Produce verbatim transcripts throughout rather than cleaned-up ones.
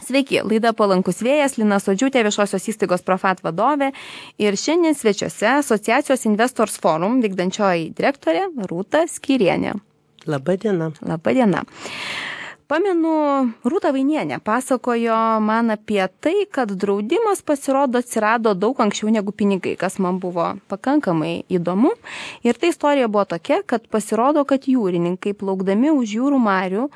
Sveiki, laida Palankus vėjas, Lina Sodžiūtė, viešosios įstaigos Profat vadovė ir šiandien svečiuose Asociacijos Investors Forum vykdančioji direktorė Rūta Skyrienė. Labą dieną. Labą dieną. Pamenu, Rūta Vainienė pasakojo man apie tai, kad draudimas pasirodo atsirado daug anksčiau negu pinigai, kas man buvo pakankamai įdomu. Ir ta istorija buvo tokia, kad pasirodo, kad jūrininkai plaukdami už jūrų marių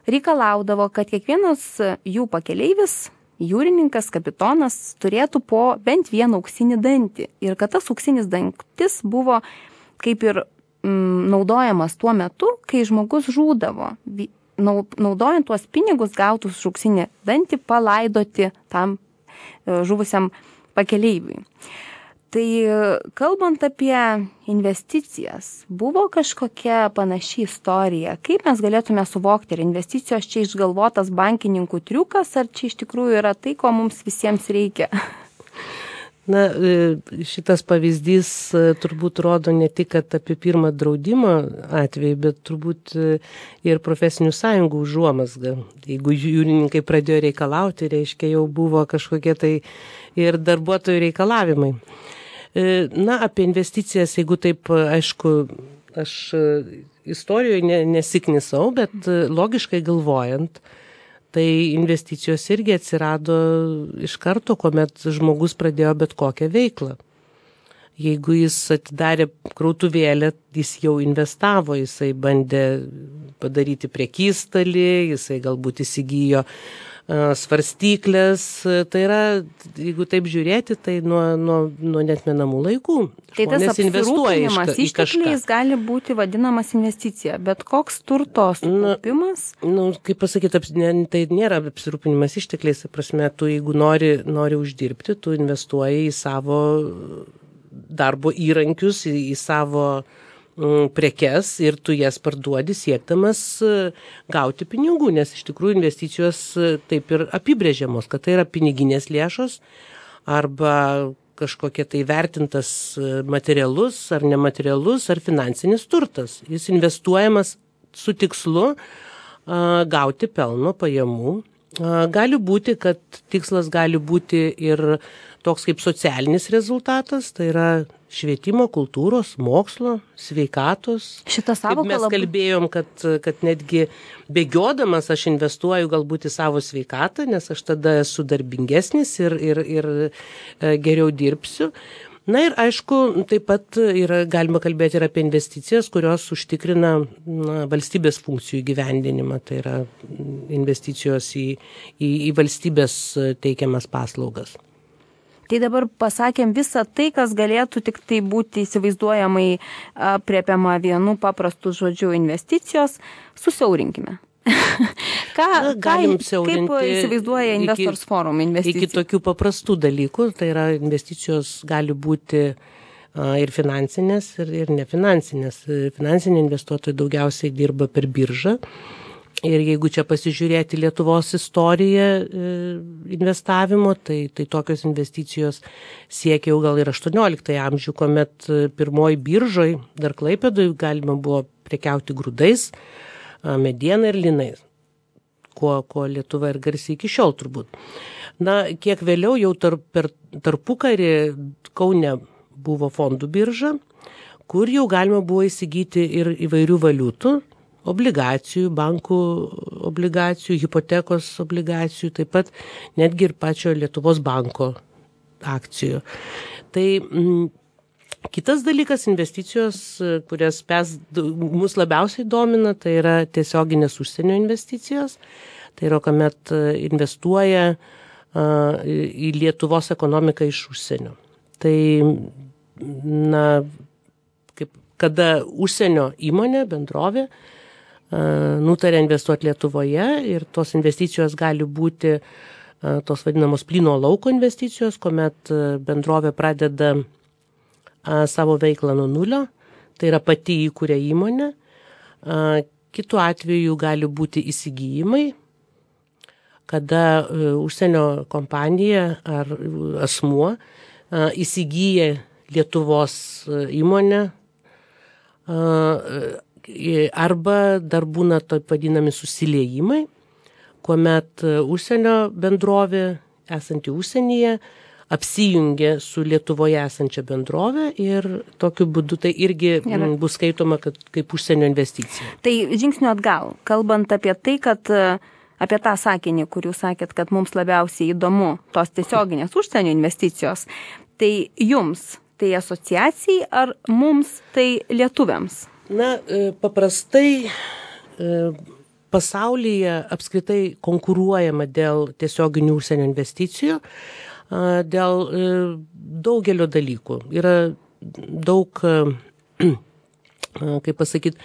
reikalaudavo, kad kiekvienas jų pakeleivis, jūrininkas, kapitonas, turėtų po bent vieną auksinį dantį. Ir kad tas auksinis dantis buvo kaip ir mm, naudojamas tuo metu, kai žmogus žūdavo. Naudojant tuos pinigus gautus už auksinį dantį palaidoti tam žuvusiam pakeleiviui. Tai kalbant apie investicijas, buvo kažkokia panaši istorija. Kaip mes galėtume suvokti, ar investicijos čia išgalvotas bankininkų triukas, ar čia iš tikrųjų yra tai, ko mums visiems reikia? Na, šitas pavyzdys turbūt rodo ne tik apie pirmą draudimo atvejį, bet turbūt ir profesinių sąjungų užuomazgą. Jeigu jūrininkai pradėjo reikalauti, reiškia jau buvo kažkokie tai ir darbuotojų reikalavimai. Na, apie investicijas, jeigu taip, aišku, aš istorijoje nesiknisau, bet logiškai galvojant, tai investicijos irgi atsirado iš karto, kuomet žmogus pradėjo bet kokią veiklą. Jeigu jis atidarė krautuvėlę, jis jau investavo, jisai bandė padaryti prekystalį, jisai galbūt įsigijo svarstyklės, tai yra, jeigu taip žiūrėti, tai nuo, nuo, nuo netmenamų laikų. Tai tas apsirūpinimas ištekliais gali būti vadinamas investicija, bet koks turto sukaupimas? Na, nu, kaip pasakyti, tai nėra apsirūpinimas ištekliais, prasme, tu jeigu nori, nori uždirbti, tu investuoji į savo darbo įrankius, į, į savo prekes ir tu jas parduodi siekdamas gauti pinigų, nes iš tikrųjų investicijos taip ir apibrėžiamos, kad tai yra piniginės lėšos arba kažkokie tai vertintas materialus ar nematerialus ar finansinis turtas. Jis investuojamas su tikslu a, gauti pelno pajamų. A, gali būti, kad tikslas gali būti ir toks kaip socialinis rezultatas, tai yra švietimo, kultūros, mokslo, sveikatos. Šitą savoką mes labai... kalbėjom, kad, kad netgi bėgiodamas aš investuoju galbūt į savo sveikatą, nes aš tada esu darbingesnis ir, ir, ir geriau dirbsiu. Na ir aišku, taip pat yra, galima kalbėti ir apie investicijas, kurios užtikrina na, valstybės funkcijų įgyvendinimą, tai yra investicijos į, į, į valstybės teikiamas paslaugas. Tai dabar pasakėm visą tai, kas galėtų tik tai būti įsivaizduojamai aprėpiama vienu paprastu žodžiu investicijos, susiaurinkime. ką, Na, galim ką, kaip įsivaizduoja Investors iki, Forum investicijų? Iki tokių paprastų dalykų, tai yra investicijos gali būti a, ir finansinės, ir, ir nefinansinės. Finansiniai investuotojai daugiausiai dirba per biržą. Ir jeigu čia pasižiūrėti Lietuvos istoriją e, investavimo, tai, tai tokios investicijos siekia jau gal ir aštuonioliktąjį amžių, kuomet pirmoji biržoj, dar Klaipėdoj, galima buvo prekiauti grūdais, mediena ir linais, kuo, kuo Lietuva ir garsiai iki šiol turbūt. Na, kiek vėliau jau tarp, per tarpukarį Kaune buvo fondų birža, kur jau galima buvo įsigyti ir įvairių valiutų, obligacijų, bankų obligacijų, hipotekos obligacijų, taip pat netgi ir pačio Lietuvos banko akcijų. Tai m, kitas dalykas, investicijos, kurias mes, mus labiausiai domina, tai yra tiesioginės užsienio investicijos. Tai yra, kuomet investuoja a, į Lietuvos ekonomiką iš užsienio. Tai, na, kaip, kada užsienio įmonė, bendrovė, nutarė investuoti Lietuvoje ir tos investicijos gali būti tos vadinamos plyno lauko investicijos, kuomet bendrovė pradeda savo veiklą nuo nulio, tai yra pati įkuria įmonė. Kitu atveju gali būti įsigijimai, kada užsienio kompanija ar asmuo įsigyja Lietuvos įmonę, arba dar būna taip vadinami susiliejimai, kuomet užsienio bendrovė esanti užsienyje apsijungė su Lietuvoje esančia bendrovė ir tokiu būdu tai irgi Gerai. Bus skaitoma kad, kaip užsienio investicija. Tai žingsniu atgal, kalbant apie tai, kad apie tą sakinį, kur jūs sakėt, kad mums labiausiai įdomu tos tiesioginės užsienio investicijos, tai jums tai asociacijai ar mums tai lietuviams? Na, paprastai pasaulyje apskritai konkuruojama dėl tiesioginių užsienio investicijų, dėl daugelio dalykų. Yra daug, kaip pasakyti,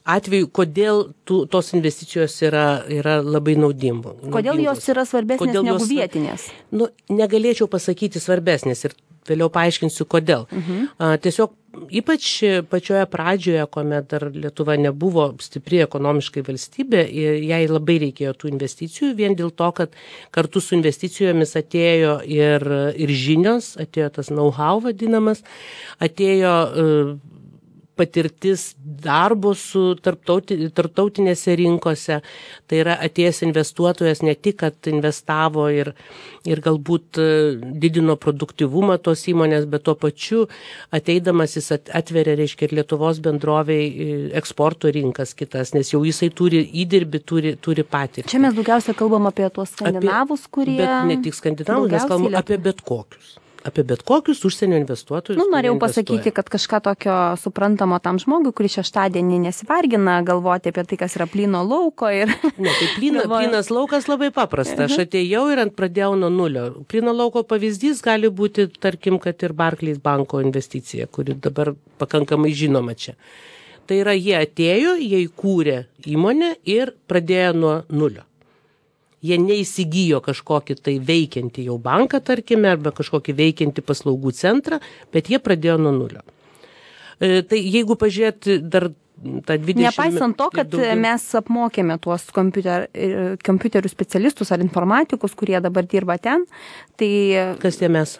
atveju, kodėl tų, tos investicijos yra, yra labai naudingos. Kodėl jos yra svarbesnės kodėl negu jos, vietinės? Nu, negalėčiau pasakyti svarbesnės ir vėliau paaiškinsiu, kodėl. Uh-huh. A, tiesiog ypač pačioje pradžioje, kuomet dar Lietuva nebuvo stipri ekonomiškai valstybė, jai labai reikėjo tų investicijų, vien dėl to, kad kartu su investicijomis atėjo ir, ir žinios, atėjo tas know-how vadinamas, atėjo uh, patirtis darbo su tarptauti, tarptautinėse rinkose. Tai yra atėjęs investuotojas ne tik, kad investavo ir, ir galbūt didino produktyvumą tos įmonės, bet tuo pačiu ateidamas jis atveria, reiškia, ir Lietuvos bendroviai eksporto rinkas kitas, nes jau jisai turi įdirbį, turi, turi patirtį. Čia mes daugiausia kalbam apie tuos skandinavus, apie, kurie... Bet ne tik skandinavus, mes kalbam apie bet kokius. Apie bet kokius užsienio investuotojus. Nu, norėjau pasakyti, kad kažką tokio suprantamo tam žmogui, kuris šeštadienį nesivargina galvoti apie tai, kas yra plyno lauko. Ir... Ne, tai plyna, plynas laukas labai paprasta. Aš atėjau ir ant pradėjau nuo nulio. Plyno lauko pavyzdys gali būti, tarkim, kad ir Barclays banko investicija, kuri dabar pakankamai žinoma čia. Tai yra, jie atėjo, jie įkūrė įmonę ir pradėjo nuo nulio. Jie neįsigijo kažkokį tai veikiantį jau banką, tarkime, arba kažkokį veikiantį paslaugų centrą, bet jie pradėjo nuo nulio. E, tai jeigu pažiūrėti dar tą dvidešimt... Nepaisant to, kad daugiau... mes apmokėme tuos kompiuter, kompiuterių specialistus ar informatikus, kurie dabar dirba ten, tai... Kas tie mes?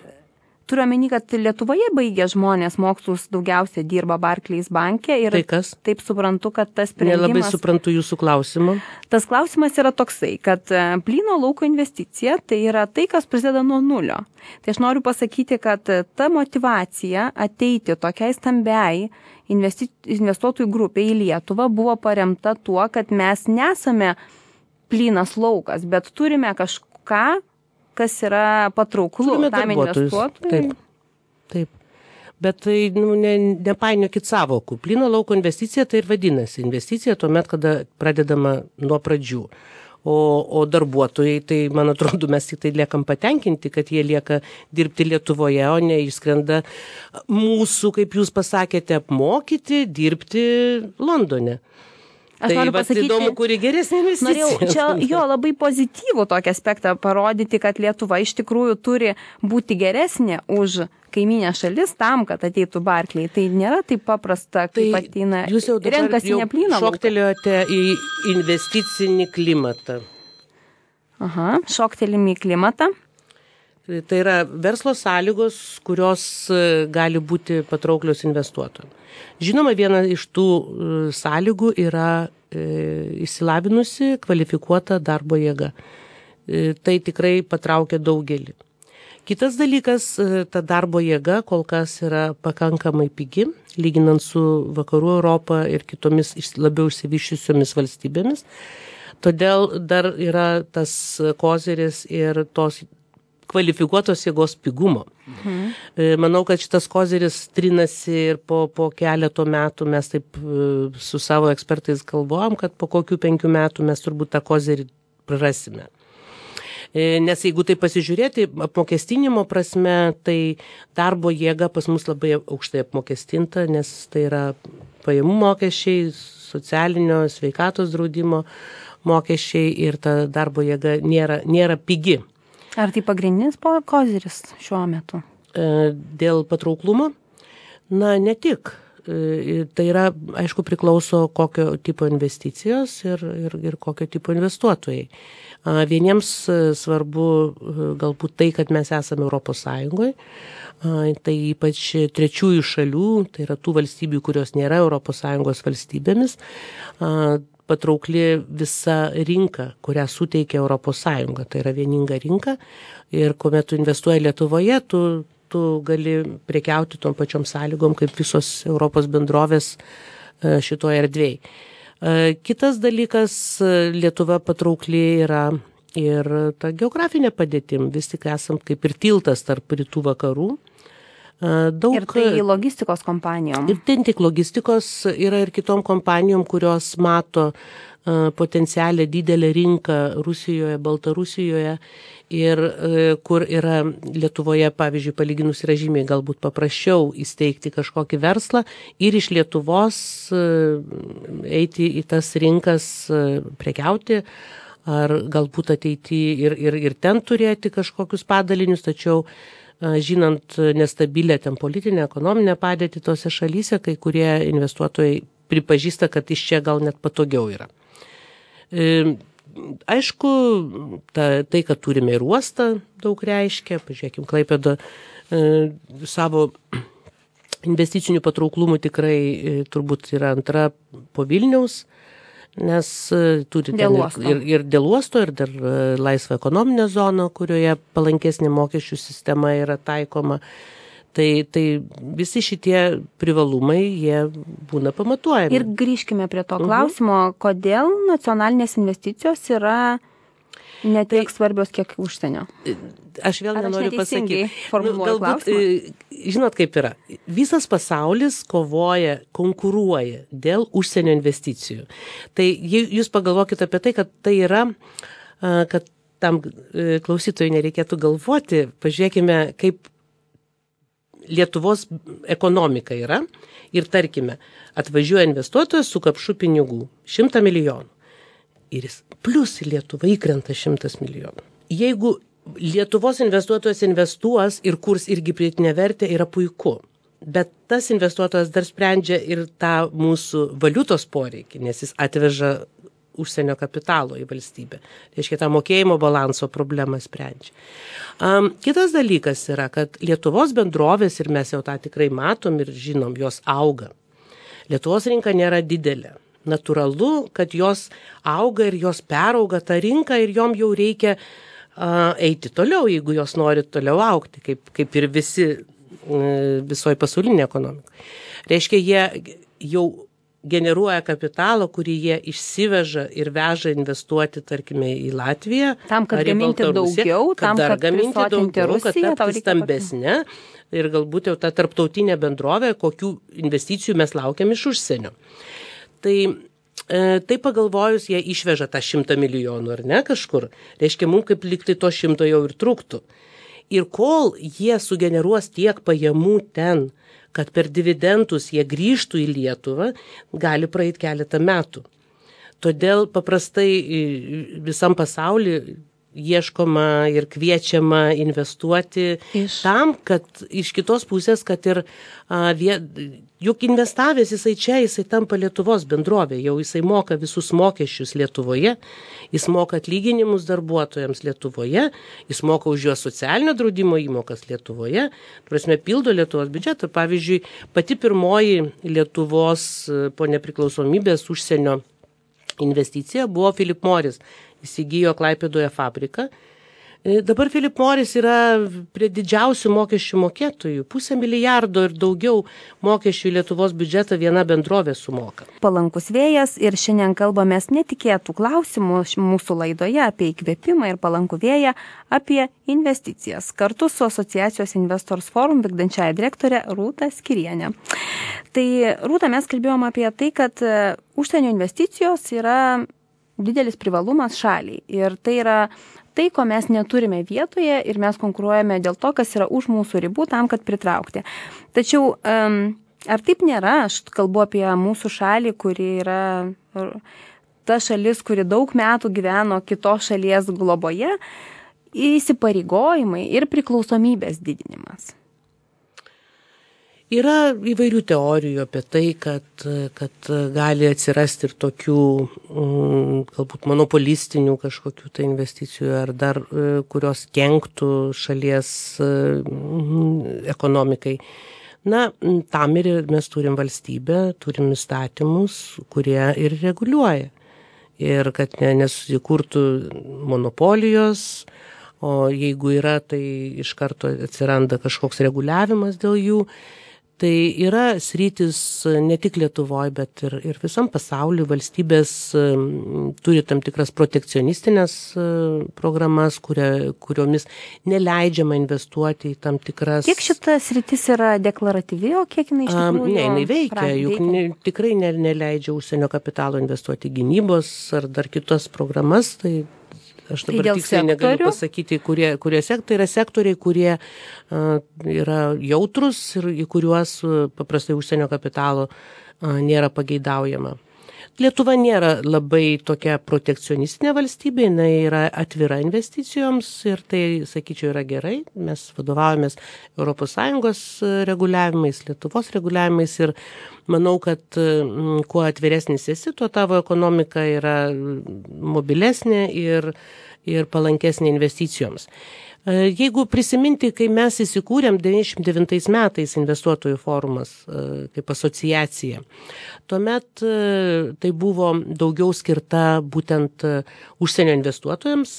Turiu omeny, kad Lietuvoje baigę žmonės mokslus daugiausia dirba Barclays banke ir tai kas? Taip suprantu, kad tas sprendimas... Nelabai suprantu jūsų klausimą. Tas klausimas yra toksai, kad plyno lauko investicija tai yra tai, kas prasideda nuo nulio. Tai aš noriu pasakyti, kad ta motyvacija ateiti tokiai stambiai investi... investuotojų grupiai į Lietuvą buvo paremta tuo, kad mes nesame plynas laukas, bet turime kažką, kas yra patrauklu tam investuotojui. Taip, taip. Bet tai nu, ne, nepainiokit savokų. Plyno lauko investicija tai ir vadinasi. Investicija tuomet, kada pradedama nuo pradžių. O, o darbuotojai, tai man atrodo, mes tik tai liekam patenkinti, kad jie lieka dirbti Lietuvoje, o ne išskrenda mūsų, kaip jūs pasakėte, apmokyti, dirbti Londone. Aš tai noriu pasakyti, įdomu, kuri geresnė investicija. Norėjau čia jo labai pozityvų tokį aspektą parodyti, kad Lietuva iš tikrųjų turi būti geresnė už kaiminę šalis tam, kad ateitų Barclays. Tai nėra taip paprasta, kaip tai ateina, jūs jau renkasi ne plyną lauką. Šoktelėjote į investicinį klimatą. Aha, šoktelim į klimatą. Tai yra verslo sąlygos, kurios gali būti patrauklios investuotojams. Žinoma, viena iš tų sąlygų yra e, išsilavinusi, kvalifikuota darbo jėga. E, tai tikrai patraukia daugelį. Kitas dalykas, ta darbo jėga kol kas yra pakankamai pigi, lyginant su Vakarų Europą ir kitomis labiau išsivyščiusiomis valstybėmis. Todėl dar yra tas koziris ir tos kvalifikuotos jėgos pigumo. Mhm. Manau, kad šitas koziris trinasi ir po, po keleto metų mes taip su savo ekspertais galvojam, kad po kokių penkių metų mes turbūt tą kozirį prarasime. Nes jeigu tai pasižiūrėti apmokestinimo prasme, tai darbo jėga pas mus labai aukštai apmokestinta, nes tai yra pajamų mokesčiai, socialinio sveikatos draudimo mokesčiai ir ta darbo jėga nėra, nėra pigi. Ar tai pagrindinis koziris šiuo metu? Dėl patrauklumo? Na, ne tik. Tai yra, aišku, priklauso kokio tipo investicijos ir, ir, ir kokio tipo investuotojai. Vieniems svarbu galbūt tai, kad mes esame Europos Sąjungoje, tai ypač trečiųjų šalių, tai yra tų valstybių, kurios nėra Europos Sąjungos valstybėmis, patraukli visa rinka, kurią suteikia Europos Sąjunga. Tai yra vieninga rinka ir kuomet tu investuoji Lietuvoje, tu, tu gali prekiauti tom pačiom sąlygom, kaip visos Europos bendrovės šitoje erdvėje. Kitas dalykas, Lietuva patraukli yra ir ta geografinė padėtim, vis tik esam kaip ir tiltas tarp rytų vakarų. Daug, ir tai logistikos kompanijom. Ir ten tik logistikos yra ir kitom kompanijom, kurios mato potencialią didelę rinką Rusijoje, Baltarusijoje ir kur yra Lietuvoje, pavyzdžiui, palyginus yra žymiai galbūt paprasčiau įsteigti kažkokį verslą ir iš Lietuvos eiti į tas rinkas prekiauti, ar galbūt ateiti ir, ir, ir ten turėti kažkokius padalinius, tačiau žinant nestabilę ten politinę, ekonominę padėtį tose šalyse, kai kurie investuotojai pripažįsta, kad iš čia gal net patogiau yra. E, aišku, ta, tai, kad turime ir uostą, daug reiškia. Pažiūrėkim, Klaipėda e, savo investicinių patrauklumų tikrai e, turbūt yra antra po Vilniaus, nes turi ten ir, ir, ir dėl uosto, ir dar laisvą ekonominę zoną, kurioje palankesnė mokesčių sistema yra taikoma. Tai, tai visi šitie privalumai, jie būna pamatuojami. Ir grįžkime prie to klausimo, uh-huh. kodėl nacionalinės investicijos yra ne tiek tai, svarbios, kiek užsienio. Aš vėl nenoriu pasakyti. Nu, galbūt, žinot, kaip yra. Visas pasaulis kovoja, konkuruoja dėl užsienio investicijų. Tai jūs pagalvokite apie tai, kad tai yra, kad tam klausytojui nereikėtų galvoti. Pažiūrėkime, kaip Lietuvos ekonomika yra ir tarkime, atvažiuoja investuotojas su kapšu pinigų, šimtą milijonų. Ir jis plus į Lietuvą įkrenta šimtas milijonų. Jeigu Lietuvos investuotojas investuos ir kurs irgi pridėtinę vertę, yra puiku. Bet tas investuotojas dar sprendžia ir tą mūsų valiutos poreikį, nes jis atveža užsienio kapitalo į valstybę. Reiškia, tą mokėjimo balanso problemą sprendžia. Um, kitas dalykas yra, kad Lietuvos bendrovės, ir mes jau tą tikrai matom ir žinom, jos auga. Lietuvos rinka nėra didelė. Natūralu, kad jos auga ir jos perauga tą rinką ir jom jau reikia uh, eiti toliau, jeigu jos nori toliau augti, kaip, kaip ir visi uh, visoje pasaulinėje ekonomikoje. Reiškia, jie jau generuoja kapitalą, kurį jie išsiveža ir veža investuoti, tarkime, į Latviją. Tam, kad gaminti daugiau, kad tam, dar kad gaminti daugiau, Rusiją, kad tapti stambesnė ir galbūt jau ta tarptautinė bendrovė, kokių investicijų mes laukiam iš užsienio. Tai, e, tai pagalvojus, jie išveža tą šimtą milijonų, ar ne, kažkur. Reiškia, mums kaip liktai to šimto jau ir trūktų. Ir kol jie sugeneruos tiek pajamų ten, kad per dividendus jie grįžtų į Lietuvą, gali praeiti keletą metų. Todėl paprastai visam pasauliu ieškoma ir kviečiama investuoti iš... tam, kad iš kitos pusės, kad ir a, vie, juk investavęs jisai čia, jisai tampa Lietuvos bendrovė, jau jisai moka visus mokesčius Lietuvoje, jis moka atlyginimus darbuotojams Lietuvoje, jis moka už juos socialinio draudimo įmokas Lietuvoje, prasme, pildo Lietuvos biudžetą. Pavyzdžiui, pati pirmoji Lietuvos po nepriklausomybės užsienio investicija buvo Philip Morris. Įsigijo Klaipėdoje fabriką. Dabar Philip Morris yra prie didžiausių mokesčių mokėtojų. Pusę milijardo ir daugiau mokesčių į Lietuvos biudžetą viena bendrovė sumoka. Palankus vėjas ir šiandien kalbamės netikėtų klausimų mūsų laidoje apie įkvėpimą ir palankų vėją, apie investicijas. Kartu su asociacijos Investors Forum vykdančiąja direktorė Rūta Skyrienė. Tai Rūta, mes kalbėjom apie tai, kad užsienio investicijos yra didelis privalumas šaliai. Ir tai yra tai, ko mes neturime vietoje ir mes konkuruojame dėl to, kas yra už mūsų ribų tam, kad pritraukti. Tačiau um, ar taip nėra? Aš kalbu apie mūsų šalį, kuri yra ta šalis, kuri daug metų gyveno kitos šalies globoje, įsipareigojimai ir priklausomybės didinimas. Yra įvairių teorijų apie tai, kad, kad gali atsirasti ir tokių galbūt monopolistinių kažkokių tai investicijų ar dar kurios kenktų šalies ekonomikai. Na, tam ir mes turim valstybę, turim įstatymus, kurie ir reguliuoja. ir kad ne, nesusikurtų monopolijos, o jeigu yra, tai iš karto atsiranda kažkoks reguliavimas dėl jų. Tai yra sritis ne tik Lietuvoje, bet ir, ir visam pasauliu. Valstybės turi tam tikras protekcionistinės programas, kuria, kuriomis neleidžiama investuoti į tam tikras... Kiek šita sritis yra deklaratyvi, o kiek jinai iš tikrųjų... Ne, jinai veikia, juk veikia? Ne, tikrai ne, neleidžia užsienio kapitalo investuoti į gynybos ar dar kitas programas, tai... Aš dabar tai tiksliai negaliu pasakyti, kurie, kurie sektoriai yra sektoriai, kurie uh, yra jautrus ir į kuriuos uh, paprastai užsienio kapitalo uh, nėra pageidaujama. Lietuva nėra labai tokia protekcionistinė valstybė, jinai yra atvira investicijoms ir tai, sakyčiau, yra gerai. Mes vadovavomės Europos Sąjungos reguliavimais, Lietuvos reguliavimais ir manau, kad mm, kuo atviresnis esi, tuo tavo ekonomika yra mobilesnė ir, ir palankesnė investicijoms. Jeigu prisiminti, kai mes įsikūrėm devyniasdešimt devintais metais investuotojų forumas kaip asociacija, tuomet tai buvo daugiau skirta būtent užsienio investuotojams.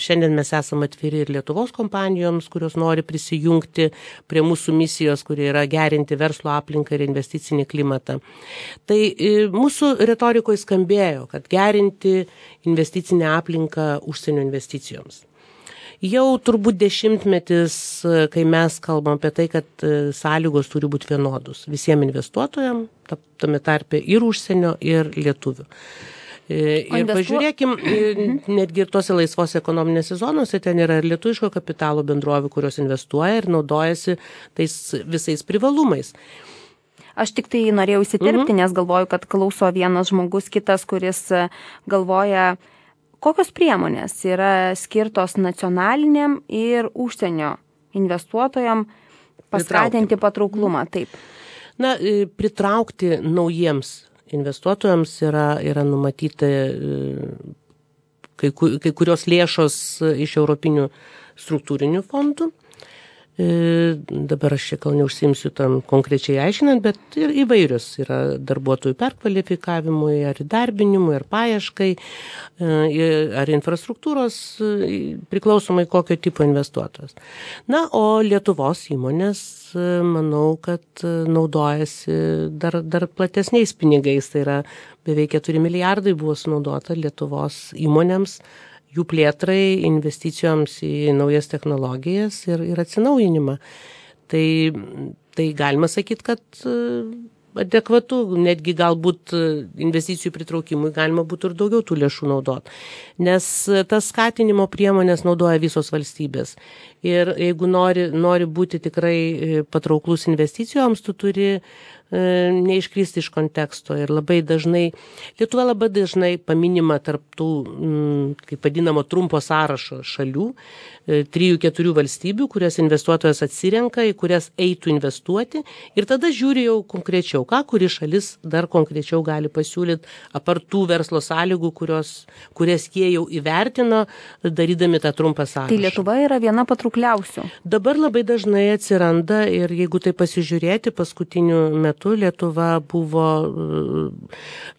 Šiandien mes esame atviri ir Lietuvos kompanijoms, kurios nori prisijungti prie mūsų misijos, kurie yra gerinti verslo aplinką ir investicinį klimatą. Tai mūsų retorikoje skambėjo, kad gerinti investicinę aplinką užsienio investicijoms. Jau turbūt dešimtmetis, kai mes kalbam apie tai, kad sąlygos turi būti vienodus visiems investuotojams, tame tarpe ir užsienio, ir lietuvių. Ir investuo... pažiūrėkim, netgi ir tose laisvos ekonominėse zonose ten yra ir lietuviško kapitalo bendrovių, kurios investuoja ir naudojasi tais visais privalumais. Aš tik tai norėjau įsiterpti, mhm. nes galvoju, kad klauso vienas žmogus, kitas, kuris galvoja, kokios priemonės yra skirtos nacionaliniam ir užsienio investuotojam paskatinti pritraukti. Patrauklumą. Taip. Na, pritraukti naujiems investuotojams yra, yra numatyti kai, kai kurios lėšos iš europinių struktūrinių fondų. Dabar aš čia gal neužsiimsiu tam konkrečiai aiškinant, bet ir įvairios yra darbuotojų perkvalifikavimui, ar įdarbinimui, ar paieškai, ar infrastruktūros, priklausomai kokio tipo investuotojas. Na, o Lietuvos įmonės, manau, kad naudojasi dar, dar platesniais pinigais, tai yra beveik keturi milijardai buvo sunaudota Lietuvos įmonėms, jų plėtrai, investicijoms į naujas technologijas ir, ir atsinaujinimą. Tai, tai galima sakyti, kad adekvatu, netgi galbūt investicijų pritraukimui galima būtų ir daugiau tų lėšų naudoti. Nes tas skatinimo priemonės naudoja visos valstybės. Ir jeigu nori, nori būti tikrai patrauklus investicijoms, tu turi neiškristi iš konteksto ir labai dažnai, Lietuva labai dažnai paminima tarp tų, kaip vadinamo, trumpo sąrašo šalių, trijų, keturių valstybių, kurias investuotojas atsirenka, į kurias eitų investuoti ir tada žiūri jau konkrečiau, ką kuri šalis dar konkrečiau gali pasiūlyti apart tų verslo sąlygų, kurios, kurias jie jau įvertino, darydami tą trumpą sąrašą. Tai Lietuva yra viena patraukliausių. Dabar labai dažnai atsiranda ir jeigu tai pasižiūrėti, paskutiniu metu Lietuva buvo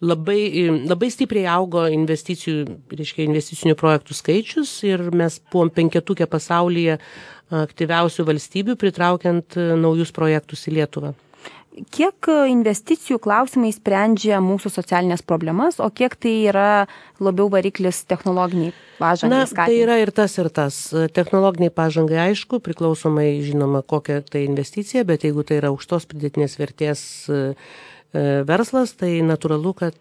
labai, labai stipriai augo investicijų, reiškia investicinių projektų skaičius ir mes buvom penketukė pasaulyje aktyviausių valstybių, pritraukiant naujus projektus į Lietuvą. Kiek investicijų klausimai sprendžia mūsų socialinės problemas, o kiek tai yra labiau variklis technologiniai pažangai skatinti? Na, tai yra ir tas, ir tas. Technologiniai pažangai, aišku, priklausomai, žinoma, kokia tai investicija, bet jeigu tai yra aukštos pridėtinės vertės verslas, tai natūralu, kad...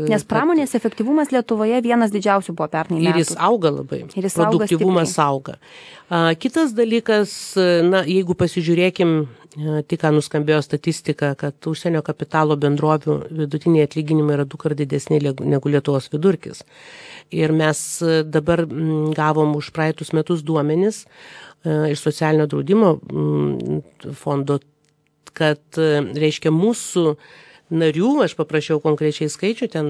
Nes pramonės kad, efektyvumas Lietuvoje vienas didžiausių buvo pernai metų. Ir jis auga labai. Ir jis produktyvumas auga. auga. Kitas dalykas, na, jeigu pasižiūrėkim, tik ką nuskambėjo statistika, kad užsienio kapitalo bendrovių vidutiniai atlyginimai yra du kart didesni negu Lietuvos vidurkis. Ir mes dabar gavom už praeitus metus duomenis iš socialinio draudimo fondo, kad, reiškia, mūsų narių, aš paprašiau konkrečiai skaičių, ten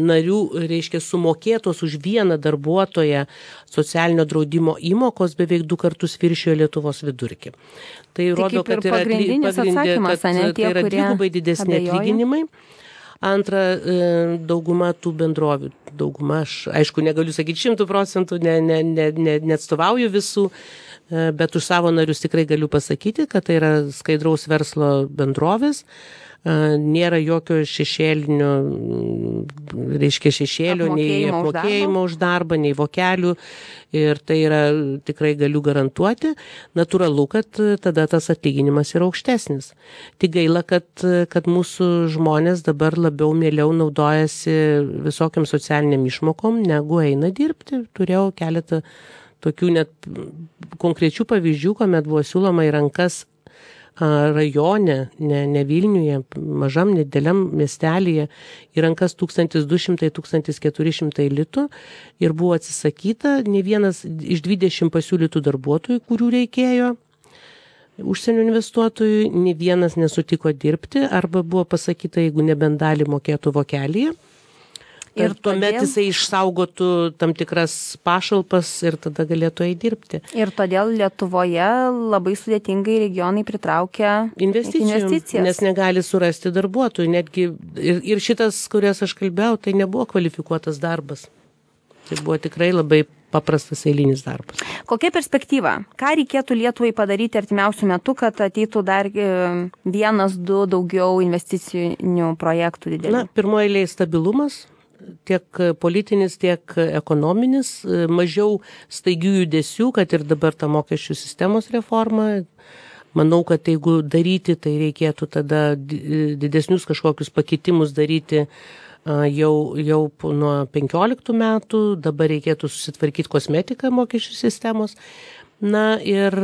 narių, reiškia, sumokėtos už vieną darbuotoją socialinio draudimo įmokos beveik du kartus viršijo Lietuvos vidurkį. Tai, tai rodo, kad yra, pagrindinis atsakymas, kad, ne tie, tai yra kurie dvigubai didesni abejoja. Atlyginimai. Antra, dauguma tų bendrovių, dauguma, aš aišku negaliu sakyti šimtų procentų, ne, ne, ne, ne, neatstovauju visų, bet už savo narius tikrai galiu pasakyti, kad tai yra skaidraus verslo bendrovės. Nėra jokio šešėlinio, reiškia šešėlio, nei apmokėjimo už darbą, nei vokelių ir tai yra tikrai galiu garantuoti. Natūralu, kad tada tas atlyginimas yra aukštesnis. Tik gaila, kad, kad mūsų žmonės dabar labiau mieliau naudojasi visokiam socialiniam išmokom, negu eina dirbti. Turėjau keletą tokių net konkrečių pavyzdžių, kuomet buvo siūloma į rankas rajone, ne, ne Vilniuje, mažam, nedėliam miestelėje, į rankas tūkstantis du šimtai - tūkstantis keturi šimtai litų ir buvo atsisakyta ne vienas iš dvidešimt pasiūlytų darbuotojų, kurių reikėjo užsienio investuotojų, ne vienas nesutiko dirbti arba buvo pasakyta, jeigu nebent dalį mokėtų vokelyje. Ir tuomet jisai išsaugotų tam tikras pašalpas ir tada galėtų eiti dirbti. Ir todėl Lietuvoje labai sudėtingai regionai pritraukia investicijas. Nes negali surasti darbuotojų. Netgi ir, ir šitas, kurias aš kalbėjau, tai nebuvo kvalifikuotas darbas. Tai buvo tikrai labai paprastas eilinis darbas. Kokia perspektyva? Ką reikėtų Lietuvai padaryti artimiausių metų, kad ateitų dar vienas, du daugiau investicinių projektų didelių? Na, pirmoje eilėje stabilumas. Tiek politinis, tiek ekonominis, mažiau staigių judesių, kad ir dabar ta mokesčių sistemos reforma. Manau, kad jeigu daryti, tai reikėtų tada didesnius kažkokius pakitimus daryti jau, jau nuo penkioliktų metų, dabar reikėtų susitvarkyti kosmetiką mokesčių sistemos. Na ir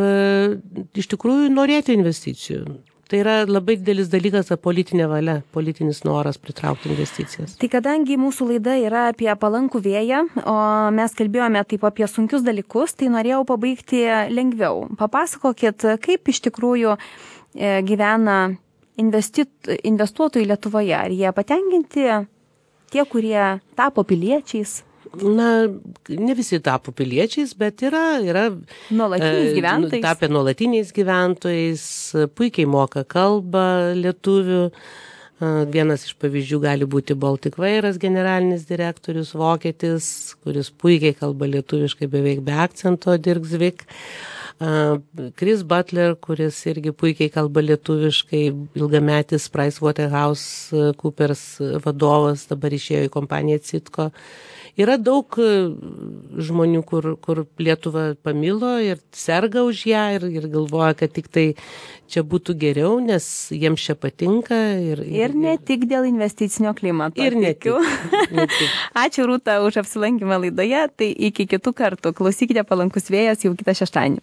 iš tikrųjų norėti investicijų. Tai yra labai didelis dalykas, politinė valia, politinis noras pritraukti investicijas. Tai kadangi mūsų laida yra apie palankų vėją, o mes kalbėjome taip apie sunkius dalykus, tai norėjau pabaigti lengviau. Papasakokit, kaip iš tikrųjų gyvena investuotojai Lietuvoje. Ar jie patenkinti, tie, kurie tapo piliečiais? Na, ne visi tapo piliečiais, bet yra, yra nuolatiniais gyventojais. Tapę nuolatiniais gyventojais, puikiai moka kalbą lietuvių. Vienas iš pavyzdžių gali būti Baltic Vairas generalinis direktorius, vokietis, kuris puikiai kalba lietuviškai beveik be akcento, Dirk Zvik. Chris Butler, kuris irgi puikiai kalba lietuviškai, ilgametis PricewaterhouseCoopers vadovas, dabar išėjo į kompaniją Citco. Yra daug žmonių, kur, kur Lietuvą pamilo ir serga už ją ir, ir galvoja, kad tik tai čia būtų geriau, nes jiems čia patinka. Ir, ir, ir ne tik dėl investicinio klimato. Ir ne tik, ne tik. Ačiū Rūta už apsilankymą laidoje, tai iki kitų kartų. Klausykite Palankus vėjas jau kitą šeštadienį.